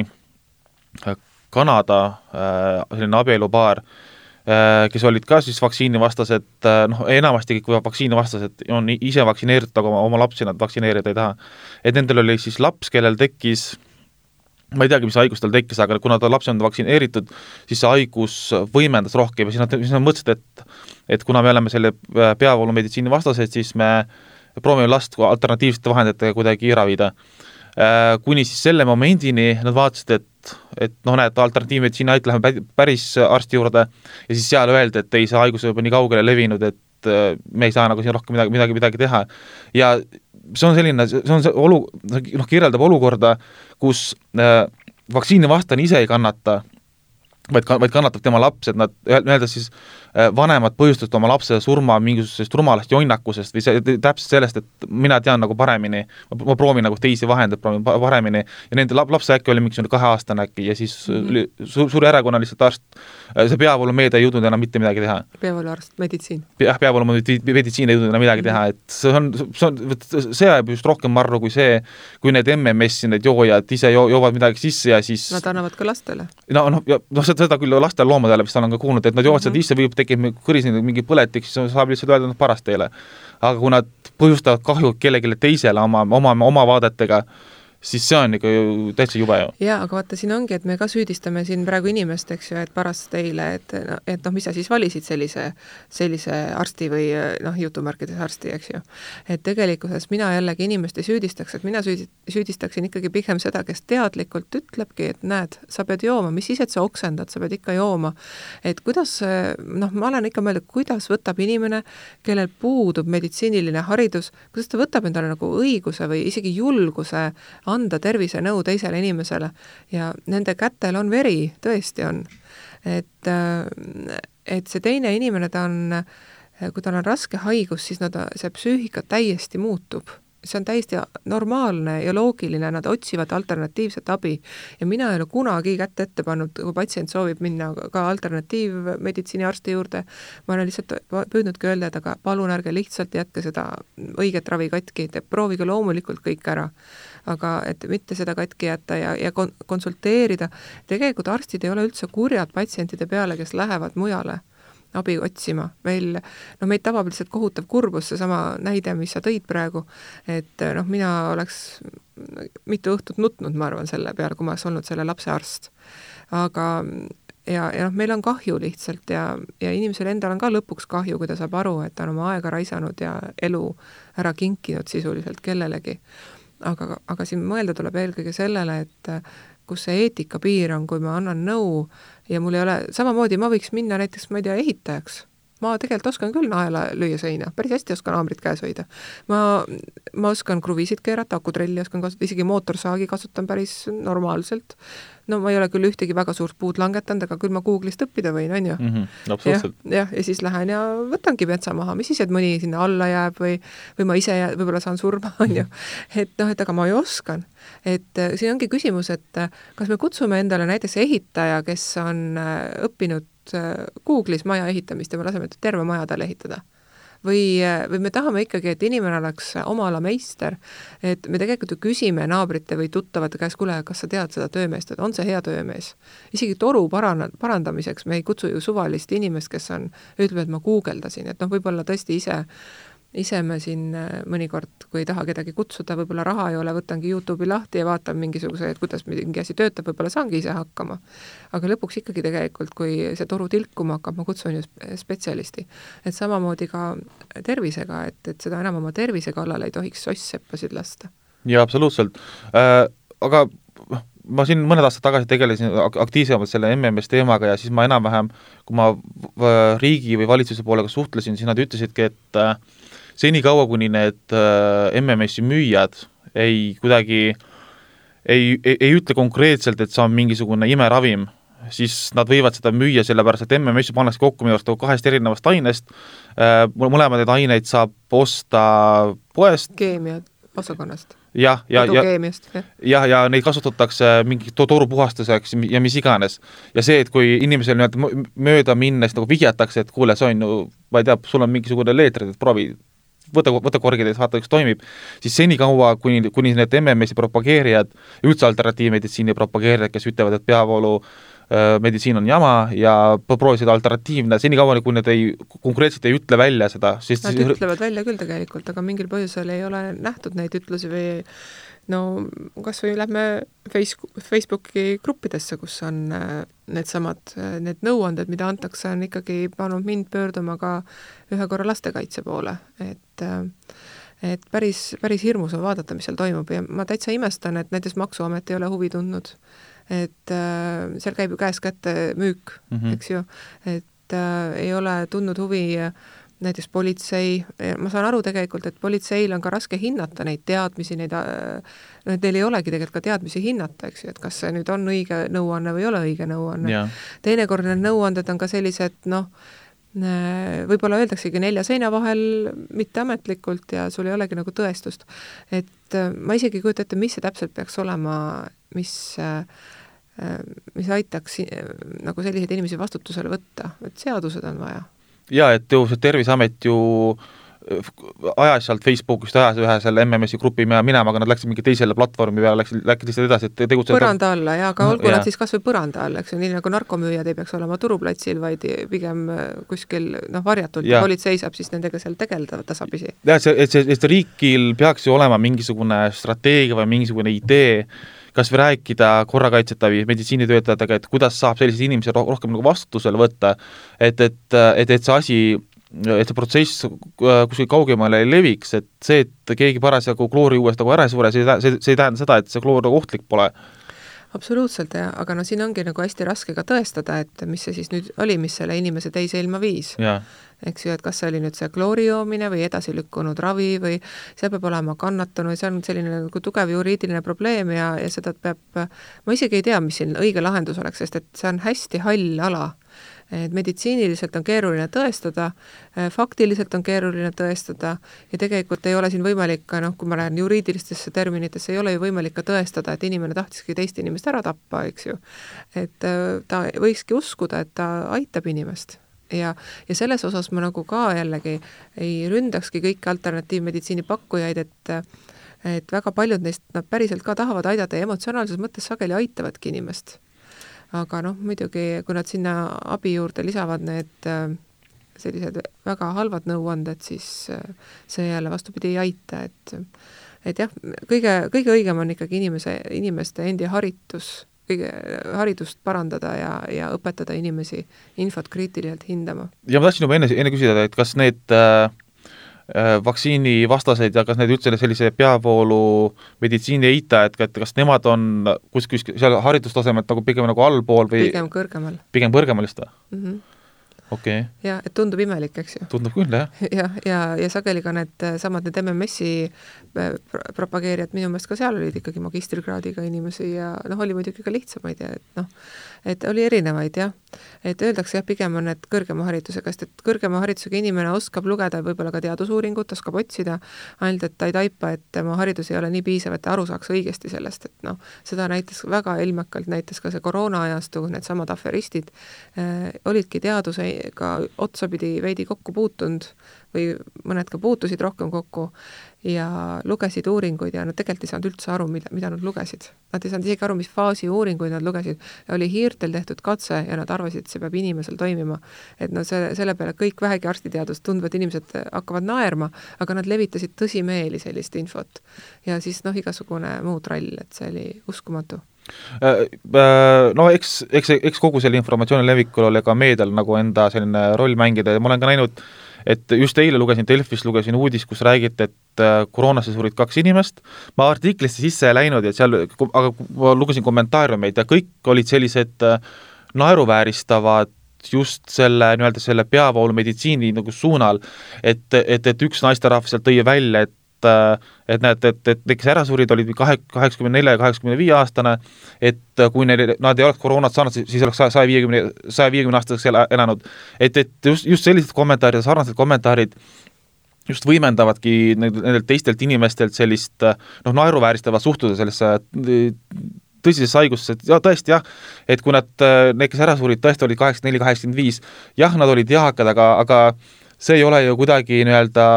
Speaker 1: Kanada selline abielupaar, kes olid ka siis vaktsiinivastased, noh, enamasti kõik vaktsiinivastased on ise vaktsineeritud, aga oma, oma lapsi nad vaktsineerida ei taha. Et nendel oli siis laps, kellel tekkis, ma ei teagi, mis haigus tal tekkis, aga kuna ta lapsi on vaktsineeritud, siis see haigus võimendas rohkem ja siis nad, siis nad mõtlesid, et, et kuna me oleme selle peavoolumeditsiini vastased, siis me proovime last alternatiivsete vahenditega kuidagi ravida. Kuni siis selle momendini nad vaatasid, et et noh, näed, alternatiivmeditsiini ait läheme päris arsti juurde ja siis seal öeldi, et ei, see haigus juba nii kaugele levinud, et me ei saa nagu siin rohkem midagi, midagi, midagi teha. Ja see on selline, see on see olu, noh, kirjeldab olukorda, kus äh, vaktsiinivastane ise ei kannata, vaid, vaid kannatab tema laps, et nad öelda siis vanemad põhjustatud oma lapse surma mingisugusest rumalast jonnakusest või see, täpselt sellest, et mina tean nagu paremini, ma proovin nagu teisi vahendeid proovin paremini ja nende lapse äkki oli mingisugune kaheaastane äkki ja siis mm-hmm. su, suur erakonna lihtsalt arst, see peavoolumeedia ei jõudnud enam mitte midagi teha.
Speaker 2: Peavooluarst, meditsiin.
Speaker 1: Jah, peavoolumeditsiin ei jõudnud enam midagi teha, et see on, see on, see ajab just rohkem marru kui see, kui need M M S-i, need joojad ise jo, joovad midagi sisse ja siis... Nad
Speaker 2: annavad ka lastele.
Speaker 1: No, no, no seda küll lastel loomadele vist olen ka kuulnud, et nad joovad mm-hmm. seda isse või tekib kõris mingi põletik, siis saab lihtsalt öelda, et parast teile. Aga kui nad põhjustavad kahju kellelegi teisele oma, oma, oma vaadetega, siis see on ikka ju täitsa jube ju.
Speaker 2: Jaa, aga vaata, siin ongi, et me ka süüdistame siin praegu inimest, eks ju, et parast teile, et, et noh, mis sa siis valisid sellise, sellise arsti või noh, jutumärkides arsti, eks ju. Et tegelikkuses mina jällegi inimest ei süüdistaks, et mina süüdistaksin ikkagi pigem seda, kes teadlikult ütlebki, et näed, sa pead jooma, mis siis, et sa oksendad, sa pead ikka jooma. Et kuidas, noh, ma olen ikka mõelnud, kuidas võtab inimene, kellel puudub meditsiiniline haridus, kuidas ta võtab endale nagu õiguse või isegi julguse anda tervisenõu teisele inimesele ja nende kätel on veri, tõesti on. Et, et see teine inimene, ta on, kui tal on raske haigus, siis nad, see psüühika täiesti muutub. See on täiesti normaalne ja loogiline, nad otsivad alternatiivset abi ja mina ei ole kunagi kätte ette pannud, kui patsient soovib minna ka alternatiivmeditsiini arsti juurde, ma olen lihtsalt püüdnudki öelda, et aga palun ärge lihtsalt jätke seda õiget ravi katki, te proovige loomulikult kõik ära, aga et mitte seda katki jätta ja, ja konsulteerida. Tegelikult arstid ei ole üldse kurjad patsientide peale, kes lähevad mujale abi otsima. Meil, no meid tabab lihtsalt kohutav kurbus, see sama näide, mis sa tõid praegu, et noh, mina oleks mitu õhtut nutnud, ma arvan, selle peale, kui ma oleks olnud selle lapse arst. Aga ja, ja noh, meil on kahju lihtsalt ja, ja inimesel endal on ka lõpuks kahju, kui ta saab aru, et ta on oma aega raisanud ja elu ära kinkinud sisuliselt kellelegi. Aga, aga siin mõelda tuleb eelkõige sellele, et kus see eetika piir on, kui ma annan nõu ja mul ei ole, samamoodi ma võiks minna näiteks, ma ei tea, ehitajaks. Ma tegelikult oskan küll naela lüüa seina, päris hästi oskan haamrit käes hoida. Ma, ma oskan kruviisid keerata, akutrelli oskan kasutada, isegi mootorsaagi kasutan päris normaalselt. No ma ei ole küll ühtegi väga suurt puud langetanud, aga küll ma Google'ist õppida võin, on ju.
Speaker 1: Mm-hmm, absoluutselt.
Speaker 2: Ja, ja, ja siis lähen ja võtangi metsa maha, mis siis, et mõni sinna alla jääb või, või ma ise jääb, võib-olla saan surma, on ju. Et noh, et aga ma ju oskan. Et siin ongi küsimus, et kas me kutsume endale näiteks ehitaja, kes on õppinud Google'is maja ehitamist ja me laseme terve maja talle ehitada. Või, või me tahame ikkagi, et inimene oleks oma ala meister, et me tegelikult ju küsime naabrite või tuttavate käes, kuule, kas sa tead seda töömeest, et on see hea töömees. Isegi toru paran- parandamiseks me ei kutsu ju suvalist inimest, kes on, ütleb, et ma guugeldasin, et noh, võib-olla tõesti ise ise me siin mõnikord, kui ei taha kedagi kutsuda, võib-olla raha ei ole, võtangi YouTube'i lahti ja vaatan mingisuguse, et kuidas mingi asi töötab, võib-olla saangi ise hakkama. Aga lõpuks ikkagi tegelikult, kui see toru tilkuma hakkab, ma kutsun ju spetsialisti. Et samamoodi ka tervisega, et, et seda enam oma tervise kallal ei tohiks soss-seppasid lasta.
Speaker 1: Ja absoluutselt. Äh, aga ma siin mõned aastad tagasi tegelesin aktiivsemalt selle M M S teemaga ja siis ma enam-vähem, kui ma riigi või valitsuse poolega suhtlesin, siis nad ütlesidki, et seni kaua, kuni need M M S-i müüjad ei kuidagi ei, ei, ei ütle konkreetselt, et see on mingisugune imeravim, siis nad võivad seda müüa, sellepärast et M M S-i pannakse kokku minu arust kahest erinevast ainest. Mõlemad need aineid saab osta poest.
Speaker 2: Keemia osakonnast.
Speaker 1: jah, ja, ja,
Speaker 2: ja,
Speaker 1: ja, ja neid kasutatakse mingi toru puhastuseks ja mis iganes. Ja see, et kui inimesel mööda minnes nagu vihjatakse, et kuule, see on ju, ma ei tea, sul on mingisugune leetrid, et proovi, võta, võta korgid, et vaata, üks toimib, siis seni kaua, kuni, kuni need M M S-i propageerijad, üldse alternatiivmeditsiini propageerijad, kes ütlevad, et peavoolu meditsiin on jama ja proovisid alternatiivne, seni kaua, kui need ei, konkreetselt ei ütle välja seda. Siis
Speaker 2: nad ütlevad välja küll tegelikult, aga mingil põhjusel ei ole nähtud neid ütlusi või no kas või lähme Facebooki gruppidesse, kus on need samad, need nõuanded, mida antakse, on ikkagi pannud mind pöörduma ka ühe korra lastekaitse poole, et et päris, päris hirmus on vaadata, mis seal toimub ja ma täitsa imestan, et näiteks Maksuamet ei ole huvi tundnud, et äh, seal käib ju käes kätte müük, mm-hmm. eks ju, et äh, ei ole tundnud huvi näiteks politsei, ma saan aru tegelikult, et politseil on ka raske hinnata neid teadmisi, neid, no, et neil ei olegi tegelikult ka teadmisi hinnata, eks ju, et kas see nüüd on õige nõuanne või ei ole õige nõuanne. Yeah. Teinekord need nõuanded on ka sellised, noh, võib-olla öeldaksegi nelja seina vahel mitteametlikult ja sul ei olegi nagu tõestust. Et ma isegi kujuta ette, mis see täpselt peaks olema, mis, mis aitaks nagu selliseid inimesi vastutusele võtta, et seadused on vaja.
Speaker 1: Ja, et ju see Terviseamet ju ajas sealt Facebookist ajas ühe selle M M S-i grupi minema, aga nad läksid mingi teisele platvormi peale, läksid, läksid lihtsalt edasi, et tegutseda.
Speaker 2: Põranda alla, ja, aga olgu ja. Nad siis kas või põranda alla, eks ju, nii nagu narkomüüjad ei peaks olema turuplatsil, vaid pigem kuskil noh, varjatult ja politsei saab siis nendega seal tegelda tasapisi. Ja, et see, et see, et see riigil peaks ju olema mingisugune strateegia või mingisugune idee, kas või rääkida korrakaitseta või meditsiinitöötajatega, et kuidas saab sellised inimesed rohkem nagu vastutusele võtta, et, et, et, et see asi et see protsess kuskil kaugemale ei leviks, et see, et keegi parasjagu kloori uuest nagu ära ei suure, see, see, see ei tähenda seda, et see kloor nagu ohtlik pole. absoluutselt, ja, aga no siin ongi nagu hästi raske ka tõestada, et mis see siis nüüd oli, mis selle inimese teise ilma viis. Eks ju, et kas see oli nüüd see kloori joomine või edasi lükkunud ravi või see peab olema kannatanud, see on selline nagu tugev juriidiline probleem ja, ja seda peab, ma isegi ei tea, mis siin õige lahendus oleks, sest et see on hästi hall ala. Et meditsiiniliselt on keeruline tõestada, faktiliselt on keeruline tõestada ja tegelikult ei ole siin võimalik ka, noh, kui ma lähen juriidilistesse terminitesse, ei ole ju võimalik ka tõestada, et inimene tahtiski teist inimest ära tappa, eks ju. Et ta võikski uskuda, et ta aitab inimest. Ja, ja selles osas ma nagu ka jällegi ei ründakski kõiki alternatiivmeditsiini pakkujaid, et, et väga paljud neist nad päriselt ka tahavad aidata ja emotsionaalses mõttes sageli aitavadki inimest. Aga noh, muidugi, kui nad sinna abi juurde lisavad need sellised väga halvad nõuanded, siis see jälle vastupidi ei aita, et, et jah, kõige, kõige õigem on ikkagi inimese, inimeste endi haritus, kõige haridust parandada ja, ja õpetada inimesi infot kriitiliselt hindama.
Speaker 1: Ja ma tahtsin juba enne, enne küsida, et kas need äh, vaktsiini vastaseid ja kas need üldse sellise peavoolu meditsiini eita, et, et kas nemad on kuskil seal haridustasemelt nagu pigem nagu allpool või
Speaker 2: pigem kõrgemal.
Speaker 1: Pigem kõrgemal just või?
Speaker 2: Mm -hmm.
Speaker 1: Okei. Okay.
Speaker 2: Ja, et tundub imelik, eks ju.
Speaker 1: Tundub küll, jah.
Speaker 2: Ja, ja, ja sageli ka need samad need M M S-i propageerijad, minu meelest ka seal olid ikkagi magistrikraadiga inimesi ja noh, oli muidugi ka lihtsamaid ja et noh, et oli erinevaid, jah. Et öeldakse, jah, pigem on need kõrgema haridusega, sest et kõrgema haridusega inimene oskab lugeda võib-olla ka teadusuuringut, oskab otsida, ainult et ta ei taipa, et tema haridus ei ole nii piisav, et ta aru saaks õigesti sellest, et noh, seda näitas väga ilmekalt, näitas ka see koroona ajastu, need samad aferistid äh, olidki teaduse ka otsapidi veidi kokku puutunud või mõned ka puutusid rohkem kokku ja lugesid uuringuid ja nad tegelikult ei saanud üldse aru, mida, mida nad lugesid. Nad ei saanud isegi aru, mis faasi uuringuid nad lugesid. Oli hiirtel tehtud katse ja nad arvasid, et see peab inimesel toimima. Et no see, selle peale kõik vähegi arstiteadust tundvad inimesed hakkavad naerma, aga nad levitasid tõsimeeli sellist infot. Ja siis noh, igasugune muu trall, et see oli uskumatu.
Speaker 1: No eks, eks, eks kogu selle informatsiooni levikul oli ka meedial nagu enda selline roll mängida ja ma olen ka näinud, et just eile lugesin Delfist, lugesin uudis, kus räägiti, et koroonasse surid kaks inimest. Ma artiklisse sisse ei läinud, et seal, aga ma lugesin kommentaariumeid ja kõik olid sellised naeruvääristavad just selle, nii-öelda selle peavoolu meditsiini nagu suunal, et, et, et üks naisterahv sealt tõi välja, et et näed, et, et kes ära surid olid kaheksakümne nelja ja kaheksakümne viie aastane, et kui neil, nad ei oleks koroonat saanud, siis oleks saja viiekümne aastaseks elanud. Et, et just, just sellised kommentaarid, sarnased kommentaarid just võimendavadki nendelt teistelt inimestelt sellist noh, naeruvääristavat suhtuda sellesse tõsisesse haigusse, et ja, tõesti jah, et kui nad, need, kes ära surid, tõesti olid kaheksakümmend neli kaheksakümmend viis, jah, nad olid eakad, aga, aga see ei ole ju kuidagi nii-öelda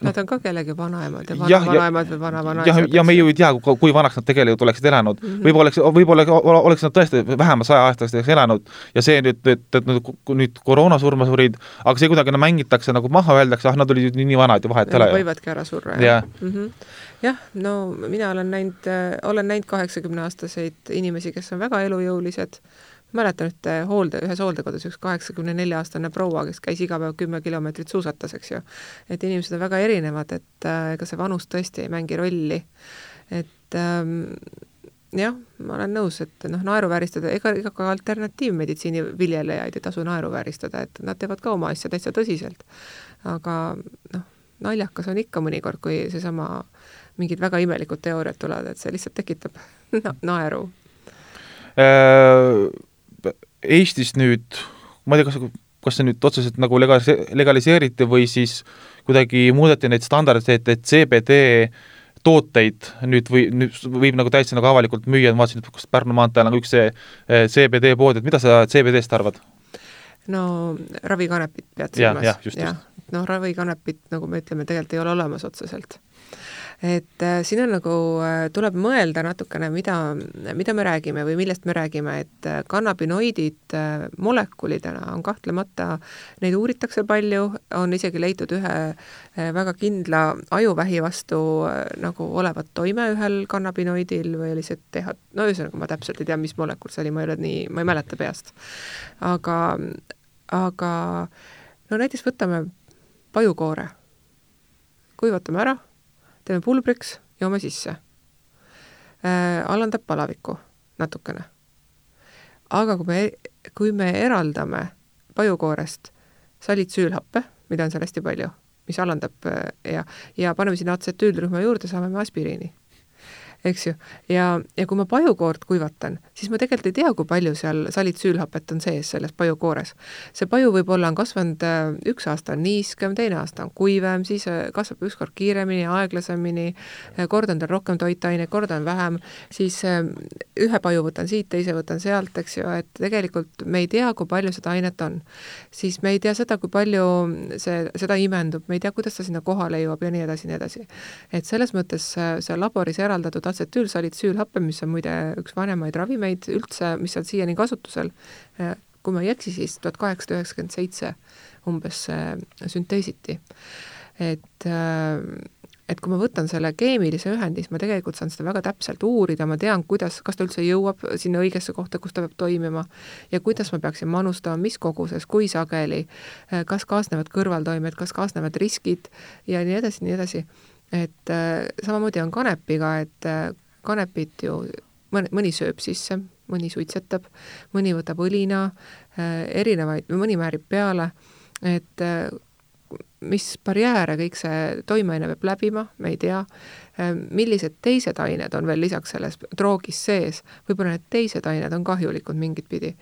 Speaker 2: Nad on ka kellegi vanaemad ja vana-vanaemad või vana-vanaemad.
Speaker 1: Ja, ja me ju ei tea, kui vanaks nad tegelikult oleksid elanud. Mm -hmm. Võib-olla oleks, võib-olla oleks nad tõesti vähemalt saja aastasteks elanud ja see nüüd, et, et nüüd koroonasurma surid, aga see kuidagi mängitakse nagu maha, öeldakse, ah, nad olid nii vanad ja vahet
Speaker 2: ja
Speaker 1: ei ole.
Speaker 2: Võivadki ära surra.
Speaker 1: Ja.
Speaker 2: Mm -hmm. Jah, no mina olen näinud, olen näinud kaheksakümne aastaseid inimesi, kes on väga elujõulised. Mäletan ühte hoolde, ühes hooldekodus üks kaheksakümne nelja aastane proua, kes käis iga päev kümme kilomeetrit suusatas, eks ju. Et inimesed on väga erinevad, et ega see vanus tõesti ei mängi rolli. Et ähm, jah, ma olen nõus, et noh, naeruvääristada, ega, ega ka alternatiivmeditsiini viljelejaid ei tasu naeruvääristada, et nad teevad ka oma asja täitsa tõsiselt. Aga noh, naljakas on ikka mõnikord, kui seesama mingid väga imelikud teooriad tulevad, et see lihtsalt tekitab na- naeru.
Speaker 1: Äh... Eestis nüüd, ma ei tea, kas, kas see nüüd otseselt nagu legaliseeriti või siis kuidagi muudeti neid standardeid, et C B D tooteid nüüd, või, nüüd võib nagu täitsa nagu avalikult müüa, ma vaatasin, et Pärnu maanteel on üks see C B D pood, et mida sa C B D-st arvad?
Speaker 2: No ravikanepit pead
Speaker 1: silmas. Ja, ja, just,
Speaker 2: ja, no ravikanepit, nagu me ütleme, tegelikult ei ole olemas otseselt. Et äh, siin on nagu, äh, tuleb mõelda natukene, mida, mida me räägime või millest me räägime, et äh, kannabinoidid äh, molekulidena on kahtlemata, neid uuritakse palju, on isegi leitud ühe äh, väga kindla ajuvähi vastu äh, nagu olevat toime ühel kannabinoidil või oli see teha, no ühesõnaga ma täpselt ei tea, mis molekul see oli, ma ei ole nii, ma ei mäleta peast. Aga, aga no näiteks võtame pajukoore, kuivatame ära, teeme pulbriks, joome sisse. Äh, alandab palavikku. natukene. Aga kui me, kui me eraldame pajukoorest salitsüülhappe, mida on seal hästi palju, mis alandab ja, ja paneme sinna atsetüülrühma juurde, saame me aspiriini. Eks ju? Ja, ja kui ma pajukoort kuivatan, siis ma tegelikult ei tea, kui palju seal salitsüülhapet on sees selles pajukoores. See paju võib-olla on kasvanud üks aasta on niiskem, teine aasta on kuivem, siis kasvab ükskord kiiremini, aeglasemini, kord on tal rohkem toitaine, kord on vähem, siis ühe paju võtan siit, teise võtan sealt, eks ju, et tegelikult me ei tea, kui palju seda ainet on. Siis me ei tea seda, kui palju see, seda imendub, me ei tea, kuidas ta sinna kohale jõuab ja nii edasi, nii edasi. Et selles mõttes see laboris eraldatud atsetüülsalitsüülhappe, mis on muide üks vanemaid ravimeid üldse, mis on siiani kasutusel, kui ma ei eksi, siis tuhat kaheksasada üheksakümmend seitse umbes sünteesiti. Et, et kui ma võtan selle keemilise ühendi, siis ma tegelikult saan seda väga täpselt uurida, ma tean, kuidas, kas ta üldse jõuab sinna õigesse kohta, kus ta peab toimima ja kuidas ma peaksin manustama, mis koguses, kui sageli, kas kaasnevad kõrvaltoimed, kas kaasnevad riskid ja nii edasi, nii edasi. Et äh, samamoodi on kanepiga, et äh, kanepit ju mõni, mõni sööb sisse, mõni suitsetab, mõni võtab õlina, äh, erinevaid, mõni määrib peale, et äh, mis barjääre kõik see toimeaine peab läbima, me ei tea, äh, millised teised ained on veel lisaks selles droogis sees, võib-olla need teised ained on kahjulikud mingit pidi.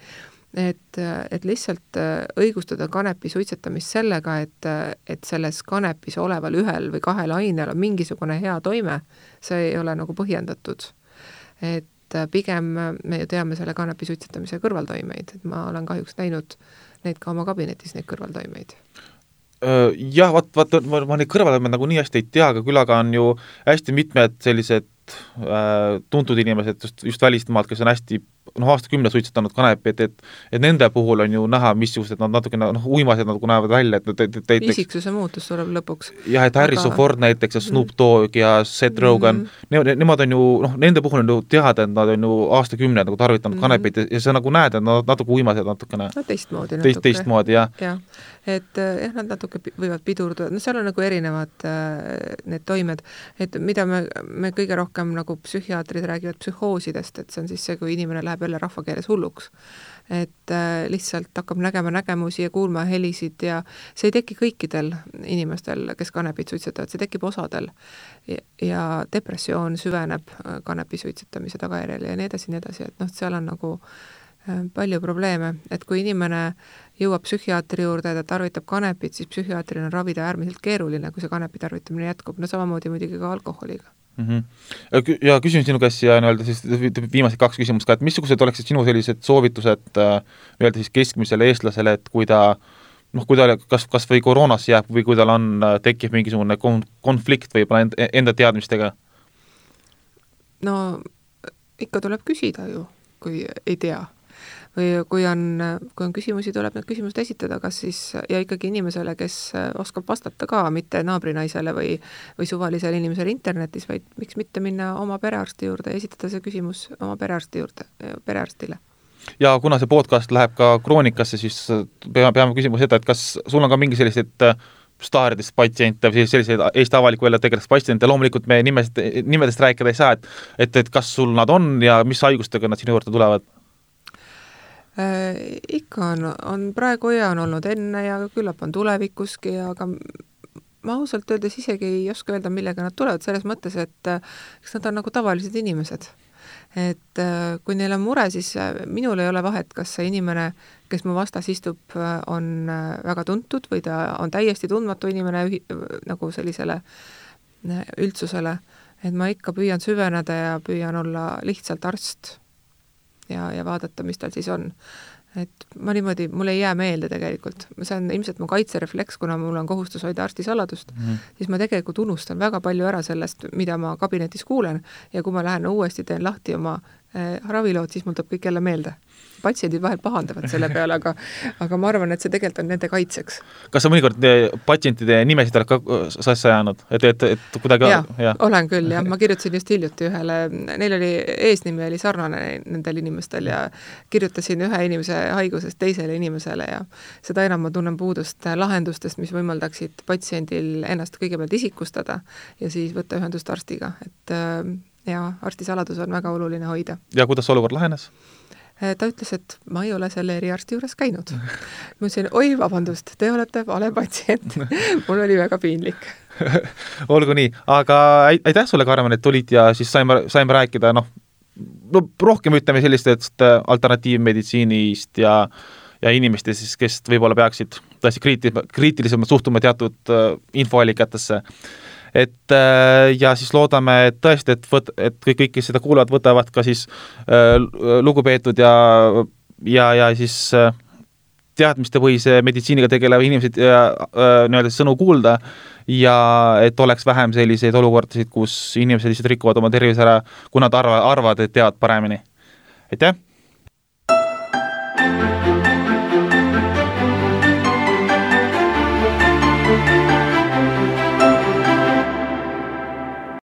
Speaker 2: Et, et lihtsalt õigustada kanepi suitsetamist sellega, et, et selles kanepis oleval ühel või kahel ainel on mingisugune hea toime, see ei ole nagu põhjendatud. Et pigem me ju teame selle kanepi suitsetamise kõrvaltoimeid, et ma olen kahjuks näinud neid ka oma kabinetis, neid kõrvaltoimeid.
Speaker 1: Jah, vaat, vaat, ma, ma neid kõrvaltoimeid nagu nii hästi ei tea, aga küll aga on ju hästi mitmed sellised äh, tuntud inimesed just, just välismaalt, kes on hästi noh, aastakümne suitsetanud kanepi, et, et, et nende puhul on ju näha, missugused nad natuke noh, uimased nagu näevad välja, et näiteks
Speaker 2: isiksuse muutus tuleb lõpuks.
Speaker 1: Jah, et Harrison aga... Ford näiteks ja Snoop Dogg ja Seth Rogen, mm-hmm. ne, nemad on ju, noh, nende puhul on ju teada, et nad on ju aastakümne nagu tarvitanud mm-hmm. kanepit ja see nagu näed, et nad natuke uimased natukene.
Speaker 2: No teistmoodi
Speaker 1: natuke. Teist, teistmoodi, jah.
Speaker 2: Ja. Et jah, nad natuke võivad pidurduda, no seal on nagu erinevad äh, need toimed, et mida me, me kõige rohkem nagu psühhiaatrid räägivad psühhoosidest, et see on siis see, kui inimene läheb jälle rahvakeeles hulluks. Et äh, lihtsalt hakkab nägema nägemusi ja kuulma helisid ja see ei teki kõikidel inimestel, kes kanepit suitsetavad, see tekib osadel. Ja, ja depressioon süveneb kanepi suitsetamise tagajärjel ja nii edasi, nii edasi, et noh, seal on nagu äh, palju probleeme, et kui inimene jõuab psühhiaatri juurde, ta tarvitab kanepit, siis psühhiaatril on ravida äärmiselt keeruline, kui see kanepi tarvitamine jätkub, no samamoodi muidugi ka alkoholiga.
Speaker 1: Mm-hmm. Ja küsin sinu käest ja nii-öelda siis viimased kaks küsimust ka, et missugused oleksid sinu sellised soovitused nii-öelda siis keskmisele eestlasele, et kui ta noh, kui ta kas, kas või koroonas jääb või kui tal on, tekib mingisugune konflikt või enda, enda teadmistega?
Speaker 2: No ikka tuleb küsida ju, kui ei tea. Või kui on, kui on küsimusi, tuleb need küsimused esitada, kas siis ja ikkagi inimesele, kes oskab vastata ka, mitte naabrinaisele või, või suvalisele inimesele internetis, vaid miks mitte minna oma perearsti juurde ja esitada see küsimus oma perearsti juurde, perearstile.
Speaker 1: Ja kuna see podcast läheb ka kroonikasse, siis peame, peame küsima seda, et kas sul on ka mingi sellised staaridest patsiente või selliseid Eesti avaliku välja tegelast patsiente, loomulikult me nimest, nimedest rääkida ei saa, et, et, et kas sul nad on ja mis haigustega nad sinu juurde tulevad?
Speaker 2: Äh, ikka on, on praegu ja on olnud enne ja küllap on tulevikuski, aga ma ausalt öeldes isegi ei oska öelda, millega nad tulevad, selles mõttes, et eks nad on nagu tavalised inimesed. Et kui neil on mure, siis minul ei ole vahet, kas see inimene, kes mu vastas istub, on väga tuntud või ta on täiesti tundmatu inimene nagu sellisele üldsusele, et ma ikka püüan süveneda ja püüan olla lihtsalt arst ja, ja vaadata, mis tal siis on. Et ma niimoodi, mul ei jää meelde tegelikult. See on ilmselt mu kaitserefleks, kuna mul on kohustus hoida arstisaladust, mm. siis ma tegelikult unustan väga palju ära sellest, mida ma kabinetis kuulen ja kui ma lähen uuesti, teen lahti oma äh, ravilood, siis mul tuleb kõik jälle meelde. Patsiendid vahel pahandavad selle peale, aga, aga ma arvan, et see tegelikult on nende kaitseks.
Speaker 1: Kas sa mõnikord patsientide nimesid oled ka sassa jäänud? Et, et, et kuidagi...
Speaker 2: Ja, ja, olen küll, jah. Ma kirjutasin just hiljuti ühele, neil oli eesnimi oli sarnane nendel inimestel ja kirjutasin ühe inimese haigusest teisele inimesele ja seda enam ma tunnen puudust lahendustest, mis võimaldaksid patsiendil ennast kõigepealt isikustada ja siis võtta ühendust arstiga. Et ja arstisaladus on väga oluline hoida.
Speaker 1: Ja kuidas olukord lahenes?
Speaker 2: Ta ütles, et ma ei ole selle eriarsti juures käinud. Ma ütlesin, oi, vabandust, te olete vale patsient. Mul oli väga piinlik.
Speaker 1: Olgu nii, aga aitäh sulle, Karmen, et tulid ja siis saime, saime rääkida, noh, no rohkem ütleme sellistest alternatiivmeditsiinist ja, ja inimestest, siis, kes võib-olla peaksid tõesti kriitis, kriitilisemalt suhtuma teatud uh, infoallikatesse. Et ja siis loodame, et tõesti, et, võt, et kõik, kõik, kes seda kuulevad, võtavad ka siis äh, lugupeetud ja, ja, ja siis äh, teadmistepõhise meditsiiniga tegelevad inimesed ja äh, nii-öelda sõnu kuulda ja et oleks vähem selliseid olukordasid, kus inimesed lihtsalt rikuvad oma tervise ära, kui nad arva, arvavad, et teavad paremini. Aitäh!